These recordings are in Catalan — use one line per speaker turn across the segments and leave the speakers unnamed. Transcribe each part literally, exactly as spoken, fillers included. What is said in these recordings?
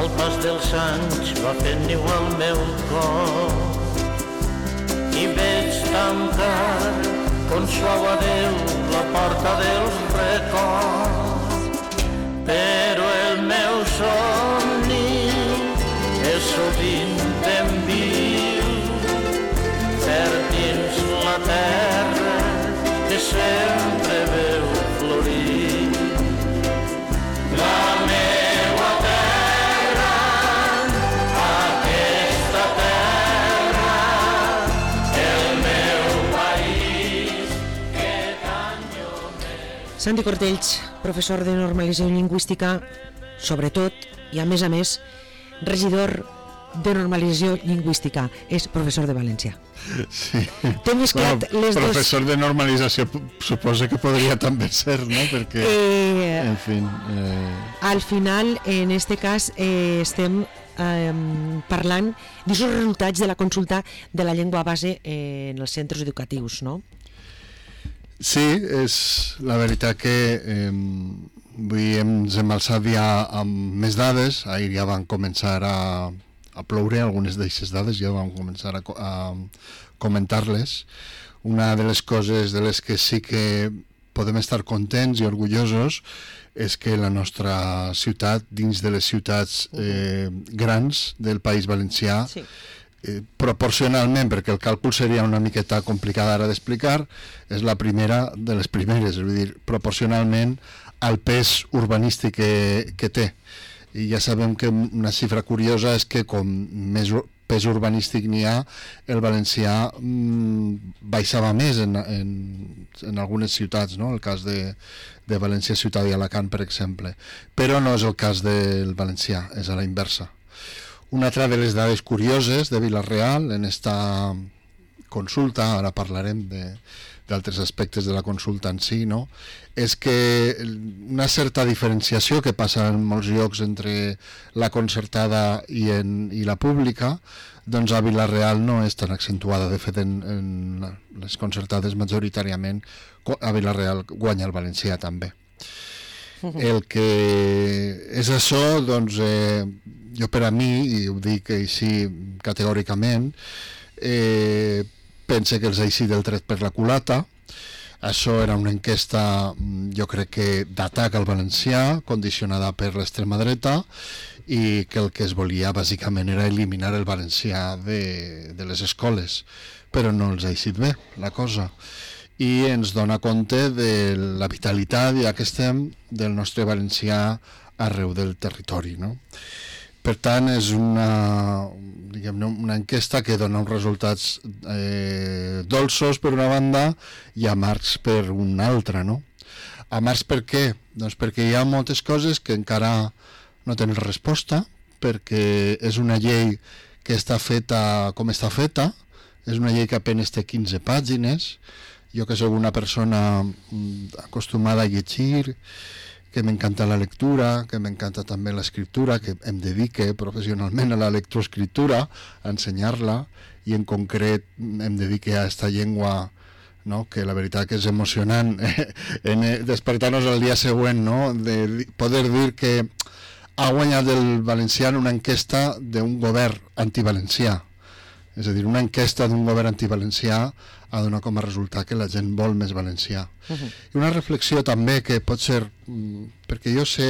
El pas dels anys va fent niu al meu cor i veig tancar con suau adeu la porta dels records, però el meu somni és sovint ben viu, cert dins la terra que sempre veu florir. La meua terra, aquesta terra, el meu país que tant jo m'he...
Santi Cortells, professor de normalització lingüística, sobretot, i a més a més, regidor de normalització lingüística, és professor de valencià.
Sí.
Té mesclat
Bueno,
les dos...
professor de normalització suposa que podria també ser, no? Perquè,
Eh,
en fi... Eh...
Al final, en este cas, eh, estem eh, parlant dels resultats de la consulta de la llengua base eh, en els centres educatius, no?
Sí, és la veritat que eh, avui ens hem alçat ja amb més dades. Ahir ja van començar a, a ploure algunes d'aquestes dades, ja vam començar a, a comentar-les. Una de les coses de les que sí que podem estar contents i orgullosos és que la nostra ciutat, dins de les ciutats eh, grans del País Valencià,
Sí.
Eh, proporcionalment, perquè el càlcul seria una miqueta complicat ara d'explicar, és la primera de les primeres, és a dir, proporcionalment al pes urbanístic que, que té. I ja sabem que una xifra curiosa és que com més pes urbanístic n'hi ha, el valencià mmm, baixava més en, en, en algunes ciutats, no? El cas de, de València, Ciutat i Alacant, per exemple. Però no és el cas del valencià, és a la inversa. Una altra de les dades curioses de Vila-real en esta consulta, ara parlarem d'altres aspectes de la consulta en si, no? És que una certa diferenciació que passa en molts llocs entre la concertada i, en, i la pública, doncs a Vila-real no és tan accentuada. De fet, en, en les concertades majoritàriament a Vila-real guanya el valencià també. El que és això, doncs, eh, jo per a mi, i ho dic així categòricament, eh, pense que els ha eixit el tret per la culata. Això era una enquesta, jo crec que d'atac al valencià, condicionada per l'extrema dreta, i que el que es volia bàsicament era eliminar el valencià de, de les escoles, però no els ha eixit bé la cosa. I ens dona compte de la vitalitat, ja que estem, del nostre valencià arreu del territori, no? Per tant, és una, diguem-ne, una enquesta que dona uns resultats eh, dolços per una banda i amargs per una altra, no? Amargs per què? Doncs perquè hi ha moltes coses que encara no tenen resposta, perquè és una llei que està feta com està feta, és una llei que apenas té quinze pàgines. Jo que soc una persona acostumada a llegir, que m'encanta la lectura, que m'encanta també l'escriptura, que em dedique professionalment a la lectoescriptura, a ensenyar-la, i en concret em dedique a aquesta llengua, no? Que la veritat que és emocionant en despertar-nos el dia següent, no? De poder dir que ha guanyat el valencià en una enquesta d'un govern antivalencià. És a dir, una enquesta d'un govern antivalencià ha donat com a resultat que la gent vol més valencià. Uh-huh. I una reflexió també que pot ser, perquè jo sé,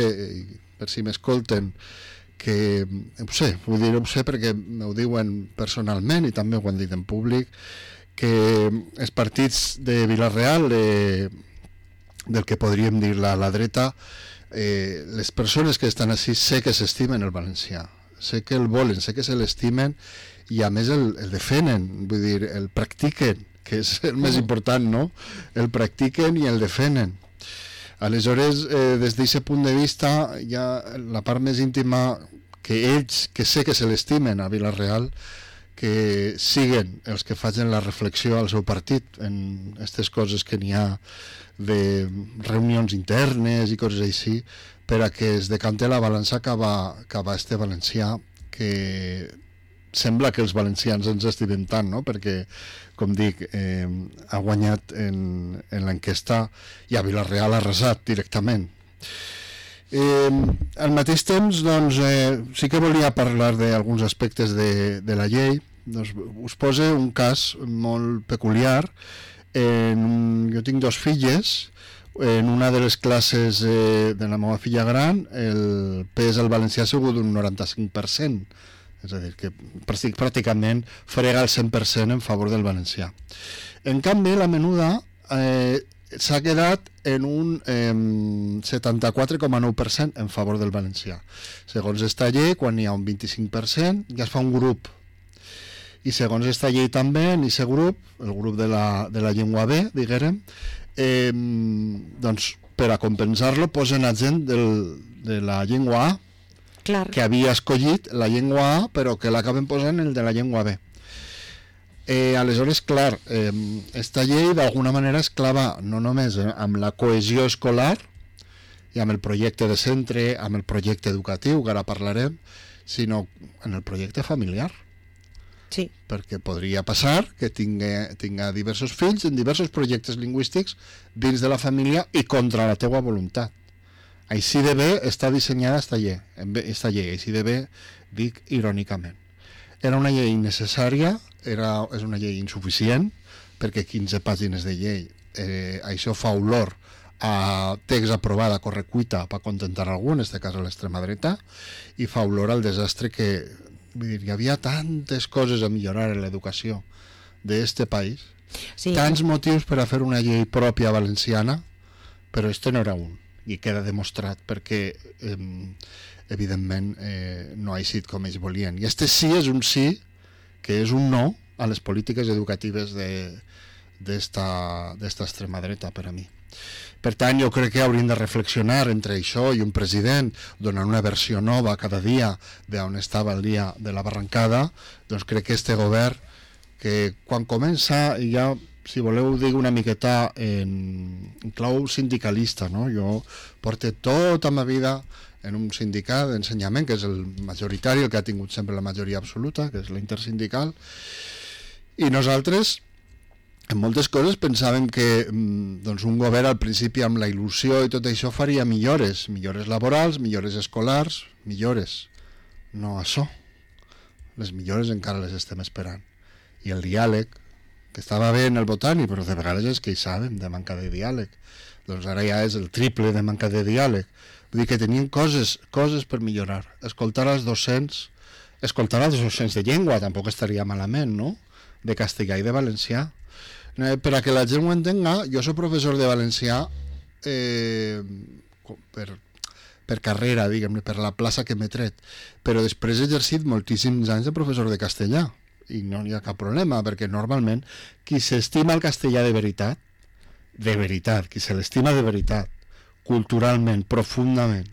per si m'escolten, que, ho sé, vull dir, ho sé perquè m'ho diuen personalment i també ho han dit en públic, que els partits de Vila-real, eh, del que podríem dir la, la dreta, eh, les persones que estan així sé que s'estimen el valencià, sé que el volen, sé que se l'estimen i a més el, el defenen, vull dir, el practiquen, que és el més important, no? El practiquen i el defenen. Aleshores, eh, des d'aquest punt de vista, hi ha la part més íntima que ells, que sé que se l'estimen a Vila-real, que siguen els que facin la reflexió al seu partit en aquestes coses que n'hi ha de reunions internes i coses així, per a que es decante la balança cap a, cap a este valencià que sembla que els valencians ens estimem tant, no? Perquè, com dic, eh, ha guanyat en, en l'enquesta i a Vila-real ha arrasat directament. Eh, al mateix temps, doncs, eh, sí que volia parlar d'alguns aspectes de, de la llei. Doncs, us poso un cas molt peculiar. En un, jo tinc dos filles. En una de les classes eh, de la meva filla gran, el pes al valencià ha sigut d'un noranta-cinc per cent. És a dir, que pràcticament frega el cent per cent en favor del valencià. En canvi, la menuda eh, s'ha quedat en un eh, setanta-quatre coma nou per cent en favor del valencià. Segons esta llei, quan hi ha un vint-i-cinc per cent, ja es fa un grup. I segons esta llei també, en aquest grup, el grup de la, de la llengua B, diguem, eh, doncs, per a compensar-lo, posen a gent del, de la llengua A,
Clar.
que havia escollit la llengua A, però que l'acaben posant el de la llengua B. Eh, aleshores, clar, eh, esta llei d'alguna manera es clava no només eh, amb la cohesió escolar i amb el projecte de centre, amb el projecte educatiu, que ara parlarem, sinó en el projecte familiar.
Sí.
Perquè podria passar que tinga, tinga diversos fills en diversos projectes lingüístics dins de la família i contra la teua voluntat. Així de bé està dissenyada esta llei, esta llei, així de bé dic irònicament. Era una llei innecessària, era, és una llei insuficient, perquè quinze pàgines de llei, eh, això fa olor a text aprovat a correcuita per contentar algú, en aquest cas a l'extrema dreta, i fa olor al desastre que, vull dir, hi havia tantes coses a millorar en l'educació d'este país,
Sí.
tants motius per a fer una llei pròpia valenciana, però este no era un. I queda demostrat perquè eh, evidentment eh, no ha eixit com ells volien. I este sí és un sí, que és un no a les polítiques educatives d'esta extrema dreta per a mi. Per tant, jo crec que hauríem de reflexionar entre això i un president donant una versió nova cada dia d'on estava el dia de la barrancada. Doncs crec que este govern, que quan comença ja, si voleu, dic una miqueta en, en clau sindicalista, no? Jo porto tota ma vida en un sindicat d'ensenyament, que és el majoritari, el que ha tingut sempre la majoria absoluta, que és l'intersindical, i nosaltres, en moltes coses, pensàvem que doncs, un govern al principi amb la il·lusió i tot això faria millores, millores laborals, millores escolars, millores. No això. Les millores encara les estem esperant. I el diàleg, que estava bé en el botànic, però de vegades es queixàvem de manca de diàleg. Doncs ara ja és el triple de manca de diàleg. Vull dir que tenien coses, coses per millorar. Escoltar als docents, escoltar als docents de llengua tampoc estaria malament, no? De castellà i de valencià. Eh, per a que la gent ho entenga, jo soc professor de valencià eh, per, per carrera, diguem-ne, per la plaça que m'he tret, però després he exercit moltíssims anys de professor de castellà. I no hi ha cap problema, perquè normalment qui s'estima el castellà de veritat, de veritat, qui se l'estima de veritat, culturalment, profundament,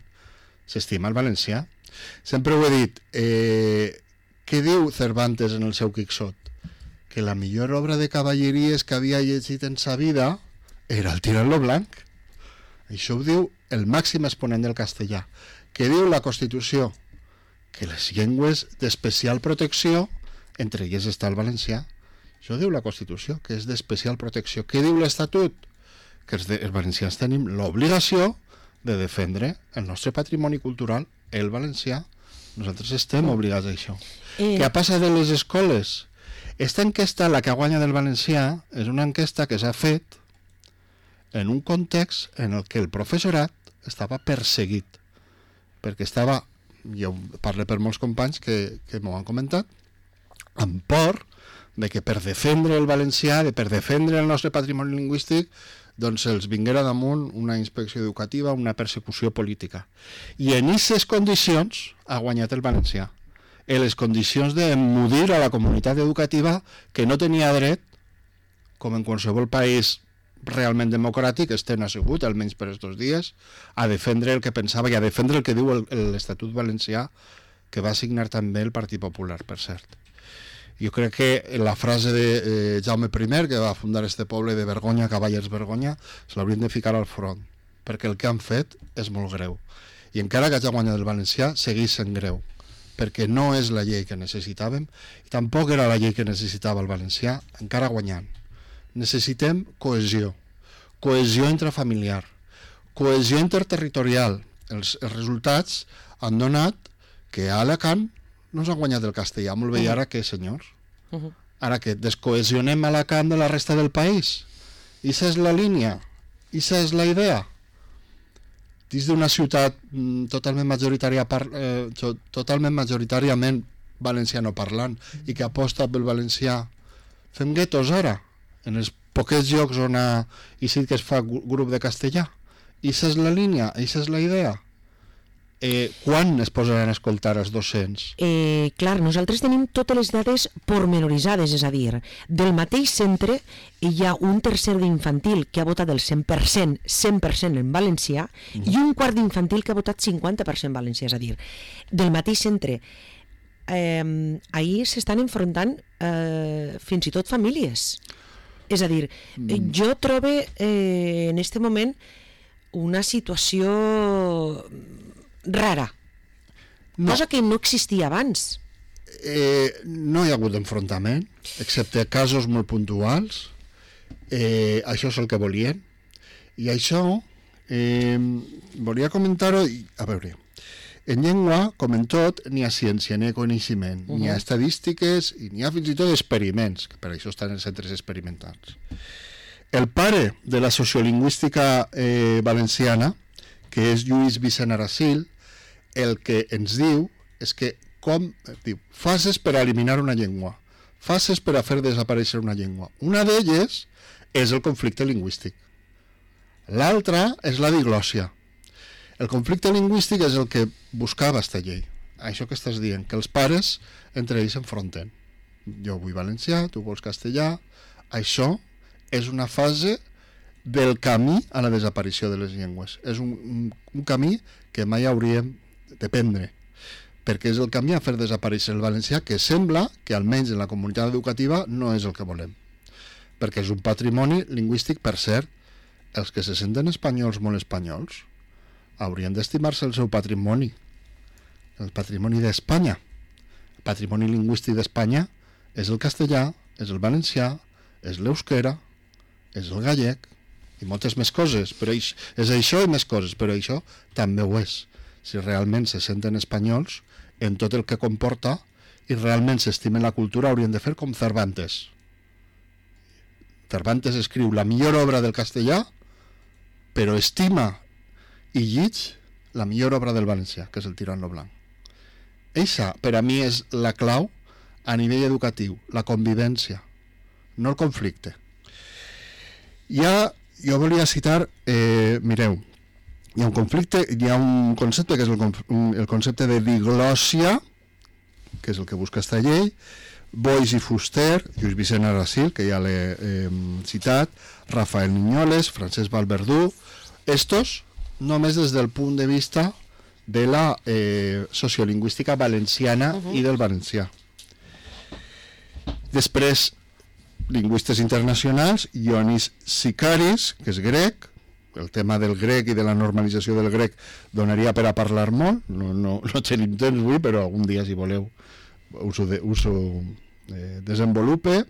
s'estima el valencià. Sempre ho he dit, eh, què diu Cervantes en el seu Quixot? Que la millor obra de cavalleries que havia llegit en sa vida era el Tirant-lo Blanc. Això ho diu el màxim exponent del castellà. Què diu la Constitució? Que les llengües d'especial protecció, entre elles està el valencià. Això diu la Constitució, que és d'especial protecció. Què diu l'Estatut? Que els, de, els valencians tenim l'obligació de defendre el nostre patrimoni cultural, el valencià. Nosaltres estem obligats a això. Eh... Què ha passat a les escoles? Esta enquesta, la que guanya del valencià, és una enquesta que s'ha fet en un context en el que el professorat estava perseguit, perquè estava, jo parlo per molts companys que, que m'ho han comentat, amb por de que per defendre el valencià, de per defendre el nostre patrimoni lingüístic, doncs els vinguera damunt una inspecció educativa, una persecució política. I en aquestes condicions ha guanyat el valencià. En les condicions d'emmudir a la comunitat educativa que no tenia dret, com en qualsevol país realment democràtic, este no ha sigut, almenys per estos dies, a defendre el que pensava i a defendre el que diu l'Estatut valencià, que va signar també el Partit Popular, per cert. Jo crec que la frase de eh, Jaume primer, que va fundar este poble de vergonya, cavallers vergonya, se l'haurien de ficar al front, perquè el que han fet és molt greu. I encara que hagi guanyat el valencià, segueix sent greu, perquè no és la llei que necessitàvem, i tampoc era la llei que necessitava el valencià, encara guanyant. Necessitem cohesió, cohesió intrafamiliar, cohesió interterritorial, els, els resultats han donat que a Alacant no s'ha guanyat el castellà. Molt bé, i ara què, senyors?
Uh-huh.
Ara que descohesionem Alacant de la resta del país? I esa és la línia? I esa és la idea? Dins d'una ciutat mm, totalment majoritària par, eh, totalment majoritàriament valenciano parlant i que aposta pel valencià, fem guetos ara en els poquets llocs on ha, i sí que es fa grup de castellà. I esa és la línia, i esa és la idea. Eh, quan es posaran a escoltar els docents?
Eh, clar, nosaltres tenim totes les dades pormenoritzades, és a dir, del mateix centre hi ha un tercer d'infantil que ha votat el cent per cent, cent per cent en valencià, mm. i un quart d'infantil que ha votat cinquanta per cent valencià, és a dir, del mateix centre. Eh, ahir s'estan enfrontant eh, fins i tot famílies. És a dir, mm. jo trobo eh, en este moment una situació rara, no. Cosa que no existia abans.
Eh, no hi ha hagut enfrontament, excepte casos molt puntuals. Eh, això és el que volien. I això, eh, volia comentar-ho, a veure, en llengua, com en tot, n'hi ha ciència, n'hi ha coneixement, uh-huh. n'hi ha estadístiques i n'hi ha fins i tot experiments, que per això estan en centres experimentals. El pare de la sociolingüística eh, valenciana, que és Lluís Vicent Aracil, el que ens diu és que com, diu, fases per eliminar una llengua, fases per a fer desaparèixer una llengua. Una d'elles és el conflicte lingüístic. L'altra és la diglòssia. El conflicte lingüístic és el que buscava esta llei. Això que estàs dient, que els pares entre ells s'enfronten. Jo vull valencià, tu vols castellà. Això és una fase del camí a la desaparició de les llengües. És un, un, un camí que mai hauríem de prendre, perquè és el camí a fer desaparèixer el valencià, que sembla que almenys en la comunitat educativa no és el que volem, perquè és un patrimoni lingüístic. Per cert, els que se senten espanyols, molt espanyols, haurien d'estimar-se el seu patrimoni, el patrimoni d'Espanya. El patrimoni lingüístic d'Espanya és el castellà, és el valencià, és l'euskera, és el gallec i moltes més coses, però és, és això i més coses, però això també ho és. Si realment se senten espanyols en tot el que comporta i realment s'estimen la cultura, haurien de fer com Cervantes. Cervantes escriu la millor obra del castellà, però estima i llig la millor obra del valencià, que és el Tirant-lo Blanc. Eixa, per a mi, és la clau a nivell educatiu, la convivència, no el conflicte. Ja, jo volia citar, eh, mireu, hi ha un conflicte, hi ha un concepte que és el, el concepte de diglòssia, que és el que busca esta llei, Boix i Fuster, Lluís Vicent Aracil, que ja l'he eh, citat, Rafael Niñoles, Francesc Valverdú, estos només des del punt de vista de la eh, sociolingüística valenciana uh-huh. i del valencià. Després, lingüistes internacionals, Ioannis Sikaris, que és grec. El tema del grec i de la normalització del grec donaria per a parlar molt, no, no, no tenim temps avui, però algun dia, si voleu, us ho, de, us ho eh, desenvolupe.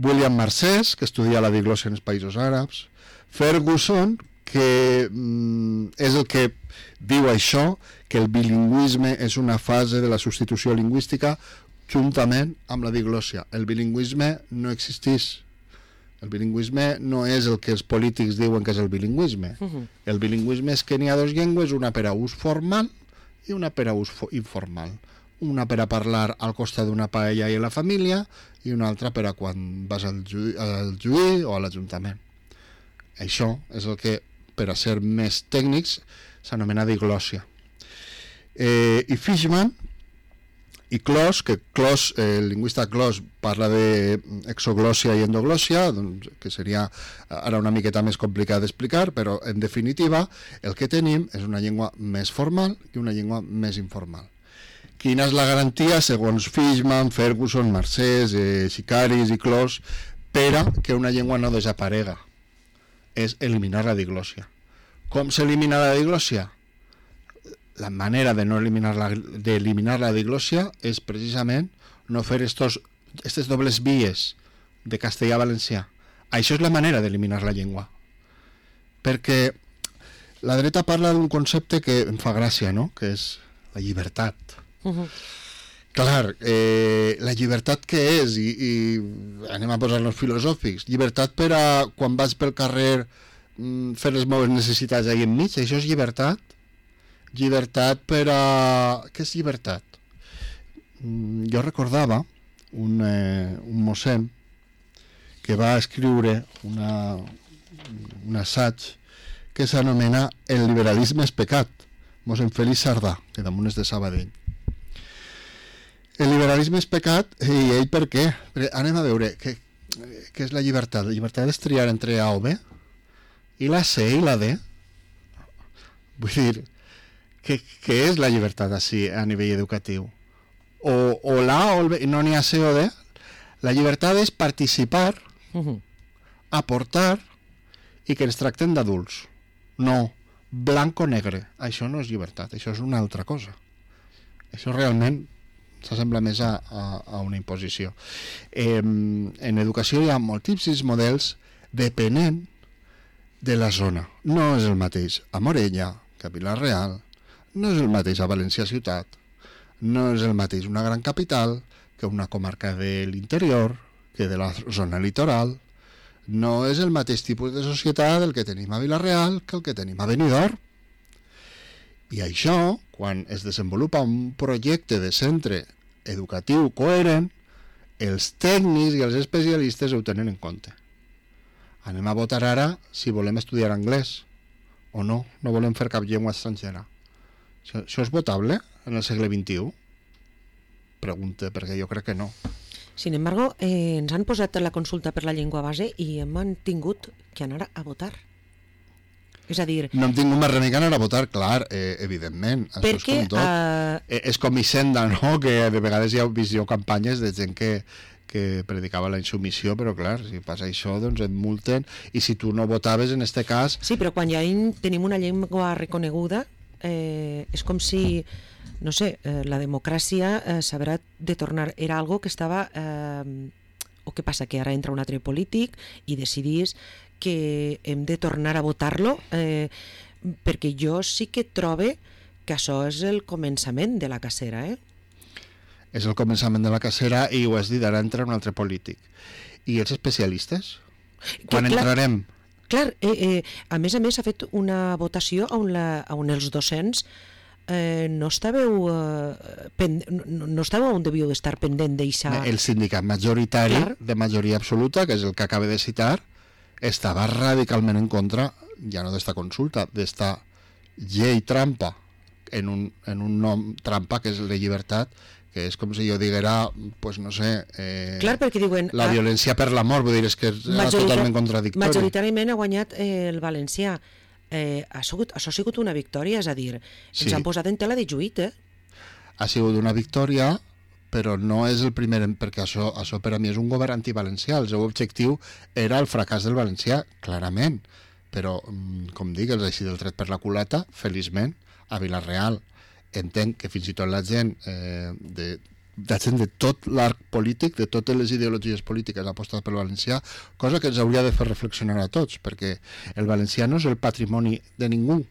William Marcès, que estudia la diglòssia en els països àrabs. Ferguson, que mm, és el que diu això, que el bilingüisme és una fase de la substitució lingüística juntament amb la diglòssia. El bilingüisme no existeix. El bilingüisme no és el que els polítics diuen que és el bilingüisme. Uh-huh. El bilingüisme és que n'hi ha dues llengües, una per a ús formal i una per a ús informal. Una per a parlar al costat d'una paella i a la família i una altra per a quan vas al juí, al juí o a l'Ajuntament. Això és el que, per a ser més tècnics, s'anomena diglòssia. Eh, I Fishman i Clos, que Clos, eh, el lingüista Clos parla d'exoglòssia i endoglòssia, doncs, que seria ara una miqueta més complicat d'explicar, però en definitiva el que tenim és una llengua més formal i una llengua més informal. Quina és la garantia, segons Fishman, Ferguson, Marcès, eh, Sikaris i Clos, per a que una llengua no desaparega? És eliminar la diglòssia. Com s'elimina la diglòssia? La manera de no eliminar la, de eliminar la diglòssia és precisament no fer estos, estes dobles vies de castellà-valencià. Això és la manera d'eliminar la llengua. Perquè La dreta parla d'un concepte que em fa gràcia, no? Que és la llibertat.
Uh -huh.
Clar, eh, la llibertat què és? I, i anem a posar-nos filosòfics. Llibertat per a, quan vas pel carrer, mm, fer les meves necessitats ahí enmig, això és llibertat? Llibertat per a... Què és llibertat? Mm, jo recordava un, eh, un mossèn que va escriure una, un assaig que s'anomena El liberalisme és pecat, mossèn Félix Sardà, que damunt és de Sabadell. El liberalisme és pecat, i ell per què? Perquè anem a veure, què, què és la llibertat? La llibertat és triar entre A o B, i la C i la D. Vull dir, què, què és la llibertat així a nivell educatiu? O, o l'A o el B, no n'hi ha C o D? La llibertat és participar,
Uh-huh.
aportar i que ens tracten d'adults. No, blanc o negre. Això no és llibertat, això és una altra cosa. Això realment s'assembla més a, a, a una imposició. Eh, en educació hi ha moltíssims models depenent de la zona. No és el mateix a Morella que a Vila-real, no és el mateix a València ciutat, no és el mateix una gran capital que una comarca de l'interior, que de la zona litoral. No és el mateix tipus de societat el que tenim a Vila-real que el que tenim a Benidorm. I això, quan es desenvolupa un projecte de centre educatiu coherent, els tècnics i els especialistes ho tenen en compte. Anem a votar ara si volem estudiar anglès o no, no volem fer cap llengua estrangera. Això, això és votable en el segle vint-i-u? Pregunta, perquè jo crec que no.
Sin embargo, eh, ens han posat la consulta per la llengua base i hem tingut que anar a votar. És a dir...
No hem tingut més remei que anar a votar, clar, eh, evidentment. Això
perquè...
és com tot.
Uh...
Eh, és com Hisenda, no?, que de vegades hi ha visió campanyes de gent que, que predicava la insubmissió, però clar, si passa això, doncs et multen, i si tu no votaves, en este cas...
Sí, però quan ja tenim una llengua reconeguda, eh, és com si... no sé, eh, la democràcia eh, s'haurà de tornar, era algo que estava eh, o què passa, que ara entra un altre polític i decidís que hem de tornar a votar-lo, eh, perquè jo sí que trobe que això és el començament de la cacera, eh?
És el començament de la cacera i ho has dit, ara entra un altre polític. I els especialistes? Quan
que, clar,
entrarem?
Clar, eh, eh, a més a més s'ha fet una votació on, la, on els docents Eh, no estàveu eh, pen, no, no estàveu on devíeu estar pendent d'això.
El sindicat majoritari, clar, de majoria absoluta, que és el que acaba de citar, estava radicalment en contra, ja no d'esta consulta, d'esta llei trampa, en un, en un nom trampa que és la llibertat, que és com si jo diguera, pues no sé, eh,
clar, perquè diuen,
la violència per l'amor, vull dir, és que és totalment contradictori.
Majoritàriament ha guanyat eh, el valencià. Eh, ha sigut, això ha sigut una victòria, és a dir, ens
sí,
han posat en tela de juït, eh?
Ha sigut una victòria, però no és el primer, perquè això, això per a mi és un govern antivalencià. El seu objectiu era el fracàs del valencià, clarament, però, com dic, els així del tret per la culata, feliçment, a Vila-real. Entenc que fins i tot la gent eh, de la gent de tot l'arc polític, de totes les ideologies polítiques ha apostat pel valencià, cosa que ens hauria de fer reflexionar a tots, perquè el valencià no és el patrimoni de ningú,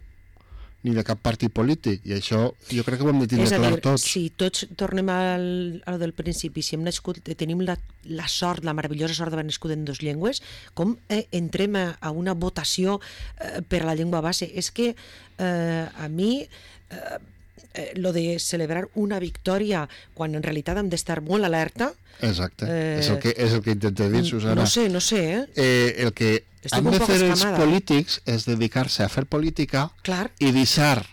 ni de cap partit polític, i això jo crec que ho hem de tindre clar tots.
Si tots tornem al, al del principi, si hem nascut, tenim la, la sort, la meravellosa sort d'haver nascut en dues llengües, com eh, entrem a, a una votació eh, per a la llengua base? És que eh, a mi... Eh, Eh, lo de celebrar una victòria quan en realitat hem d'estar molt alerta.
Exacte, eh, és, el que, és el que intento dir, Susana.
No sé, no sé, eh?
eh el que
Estic
han de fer els
escamada.
polítics és dedicar-se a fer política.
Clar.
I deixar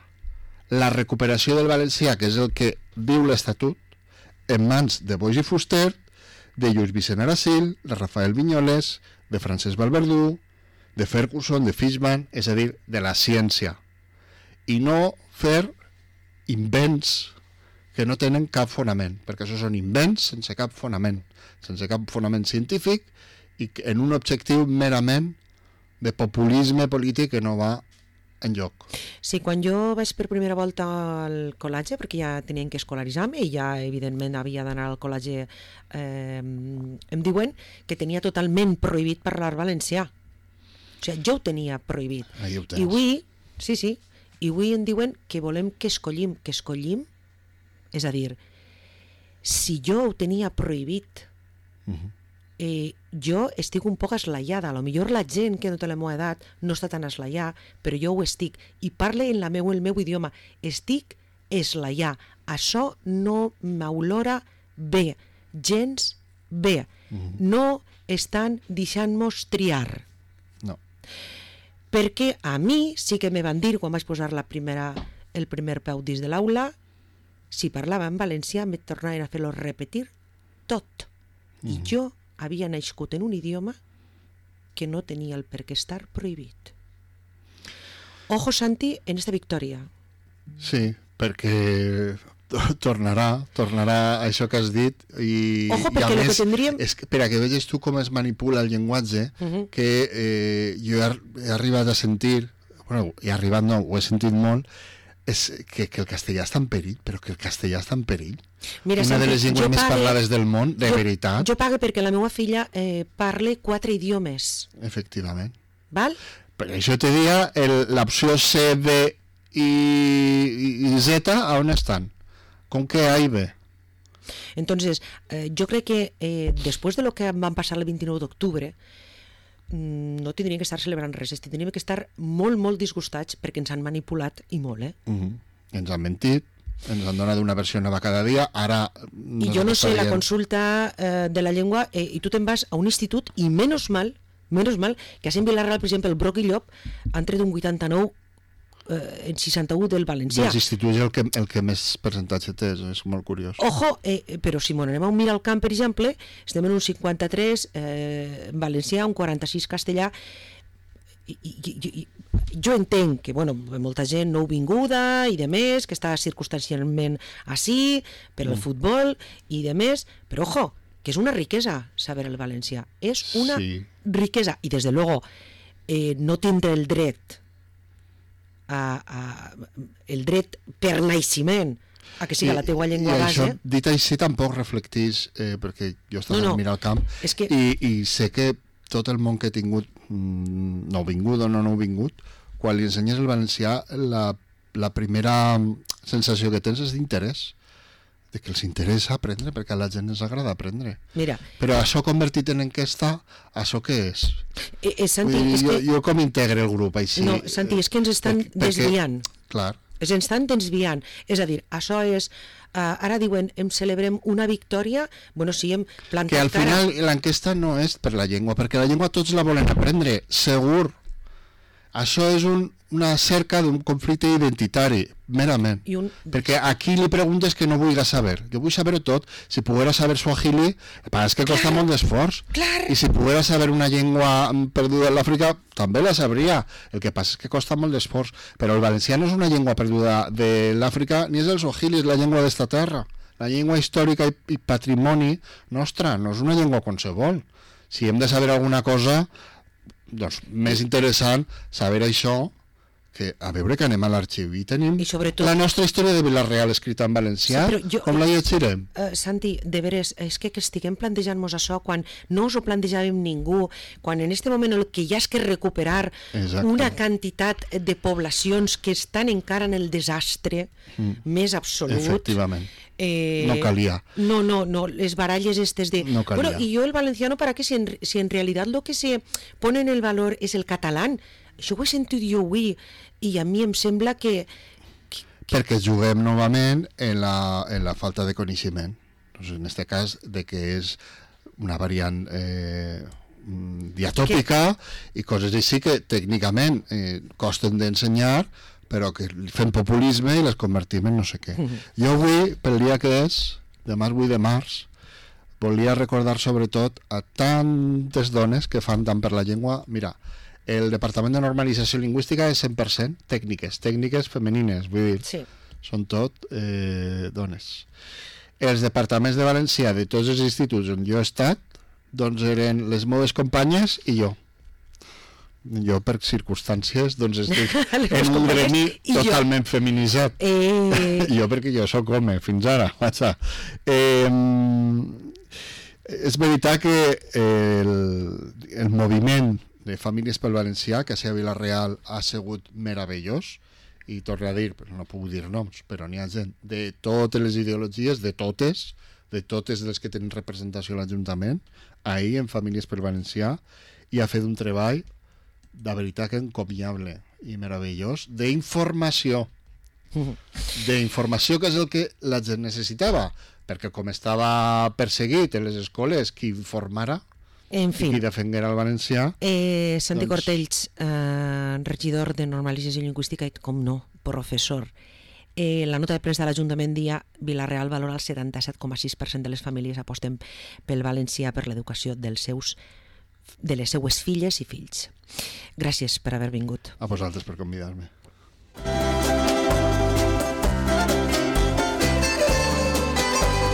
la recuperació del valencià, que és el que diu l'Estatut, en mans de Boix i Fuster, de Lluís Vicent Aracil, de Rafael Vinyoles, de Francesc Valverdú, de Ferguson, de Fishman, és a dir, de la ciència. I no fer invents que no tenen cap fonament, perquè això són invents sense cap fonament, sense cap fonament científic i en un objectiu merament de populisme polític que no va enlloc.
Sí, quan jo vaig per primera volta al col·legi, perquè ja tenien que escolaritzar-me i ja evidentment havia d'anar al col·legi, eh, em diuen que tenia totalment prohibit parlar valencià. O sigui, jo ho tenia prohibit.
Ahí ho tens.
I avui Sí, sí. I avui en diuen que volem que escollim, que escollim, és a dir, si jo ho tenia prohibit, uh-huh. eh, jo estic un poc eslaiada. A lo millor la gent que no té la meva edat no està tan eslaiada, però jo ho estic. I parle en la meu, el meu idioma. Estic eslaiada. Això no m'olora bé, gens bé. Uh-huh. No estan deixant-nos triar.
No.
Perquè a mi sí que me van dir, quan vaig posar la primera, el primer peu dins de l'aula, si parlava en valencià me tornaven a fer-lo repetir tot. Mm. I jo havia nascut en un idioma que no tenia el per què estar prohibit. Ojo, Santi, en esta victòria.
Sí, perquè tornarà, tornarà a això que has dit i,
Ojo,
i a
perquè
més,
lo que tindríem...
és que, per a que veges tu com es manipula el llenguatge, uh-huh. que eh, jo he, he arribat a sentir, bueno, he arribat no, ho he sentit molt, és que, que el castellà està en perill, però que el castellà està en perill.
Mira,
una
Santi,
de les llengües més
pague,
parlades del món, de
jo,
veritat.
Jo pague perquè la meva filla eh, parle quatre idiomes.
Efectivament.
Val?
Per això te dia l'opció C, D i, i, i Z, a on estan? ¿Con qué A y B?
Entonces, eh, yo creo que eh, después de lo que van pasar el vint-i-nou d'octubre, mm, no tindríem que estar celebrant res, tindríem que estar molt, molt disgustats perquè ens han manipulat i molt, eh?
Uh-huh. Ens han mentit, ens han donat una versió nova cada dia, ara...
I jo no sé, la consulta eh, de la llengua, eh, i tu te'n vas a un institut i menys mal, menys mal, que a Sant Vilarreal, per exemple, el Broc i Llop han tret un vuitanta-nou eh, en seixanta-u del valencià.
Dels instituts el que, el que més percentatge té, és molt curiós.
Ojo, eh, però si m'ho anem a mirar al camp, per exemple, estem en un cinquanta-tres eh, en valencià, un quaranta-sis castellà, i, i, i, i jo entenc que, bueno, molta gent nouvinguda i de més, que està circumstancialment així, per al mm. futbol i de més, però ojo, que és una riquesa saber el valencià, és una sí. riquesa, i des de luego eh, no tindre el dret A, a, el dret per naixement a que siga I, la teua llengua base.
Això, dit així, tampoc reflectís, eh, perquè jo estava no, no. mirant al camp,
és que...
i, i sé que tot el món que he tingut, mm, nouvingut o no nouvingut, quan li ensenyes el valencià, la, la primera sensació que tens és d'interès, de que els interessa aprendre, perquè a la gent ens agrada aprendre.
Mira,
però això convertit en enquesta, això què és?
Eh, eh, Santi,
dir,
és
jo,
que...
jo com integre el grup així?
No, Santi, és que ens estan
perquè,
desviant.
Clar.
Ens estan desviant. És a dir, això és... Uh, ara diuen, em celebrem una victòria, bueno, sí, hem plantat
cara... Que al final
cara...
l'enquesta no és per la llengua, perquè la llengua tots la volen aprendre, segur. Això és un, una cerca d'un conflicte identitari, merament. I un... Perquè aquí li preguntes que no vulgui saber. Jo vull saber-ho tot. Si poguera saber suahili, és que costa clar, molt d'esforç. I si poguera saber una llengua perduda en l'Àfrica, també la sabria. El que passa és que costa molt d'esforç. Però el valencià no és una llengua perduda de l'Àfrica, ni és el suahili, és la llengua d'esta terra. La llengua històrica i, i patrimoni nostra, no és una llengua qualsevol. Si hem de saber alguna cosa... doncs més interessant saber això que a veure que anem a l'arxiu i tenim
I sobretot,
la nostra història de Vila-real escrita en valencià, sí, jo, com la llegirem?
Uh, Santi, de veres, és que, que estiguem plantejant-nos això quan no us ho plantejàvem ningú, quan en este moment el que hi ha és que recuperar Exacte. Una quantitat de poblacions que estan encara en el desastre mm. més absolut.
Efectivament.
Eh,
no calia.
No, no, no, les baralles estes de...
No calia.
Bueno, y yo el valenciano, ¿para qué? Si en, si en realidad lo que se pone en el valor es el catalán. Això ho he sentit jo avui i a mi em sembla que... que, que...
Perquè juguem novament en la, en la falta de coneixement. Doncs en aquest cas, de que és una variant eh, diatòpica que... i coses així que tècnicament eh, costen d'ensenyar, però que fem populisme i les convertim en no sé què. Mm-hmm. Jo avui, pel dia que és, demà és vuit de març, volia recordar sobretot a tantes dones que fan tant per la llengua. Mira, el Departament de Normalització Lingüística és cent per cent tècniques, tècniques femenines, vull dir,
sí. Són
tot eh, dones. Els departaments de valencià de tots els instituts on jo he estat, doncs eren les meves companyes i jo. Jo, per circumstàncies, doncs estic en un gremi totalment jo. feminitzat. Eh... jo, perquè jo sóc home, fins ara. Eh, és veritat que el, el moviment de Famílies pel Valencià, que a Vilareal ha sigut meravellós, i torno a dir, no puc dir noms, però n'hi ha gent de totes les ideologies, de totes, de totes les que tenen representació a l'Ajuntament, ahir en Famílies pel Valencià, i ha fet un treball de veritat que encomiable i meravellós d'informació. D'informació, que és el que la gent necessitava, perquè com estava perseguit en les escoles qui informara
En fi,
i qui defenguera el valencià,
eh, Santi
doncs-
Cortells, eh, regidor de Normalització Lingüística i, com no, professor. Eh, la nota de premsa de l'Ajuntament dia Vila-real valora el setanta-set coma sis per cent de les famílies aposten pel valencià per l'educació dels seus de les seues filles i fills. Gràcies per haver vingut.
a vosaltres per convidar-me.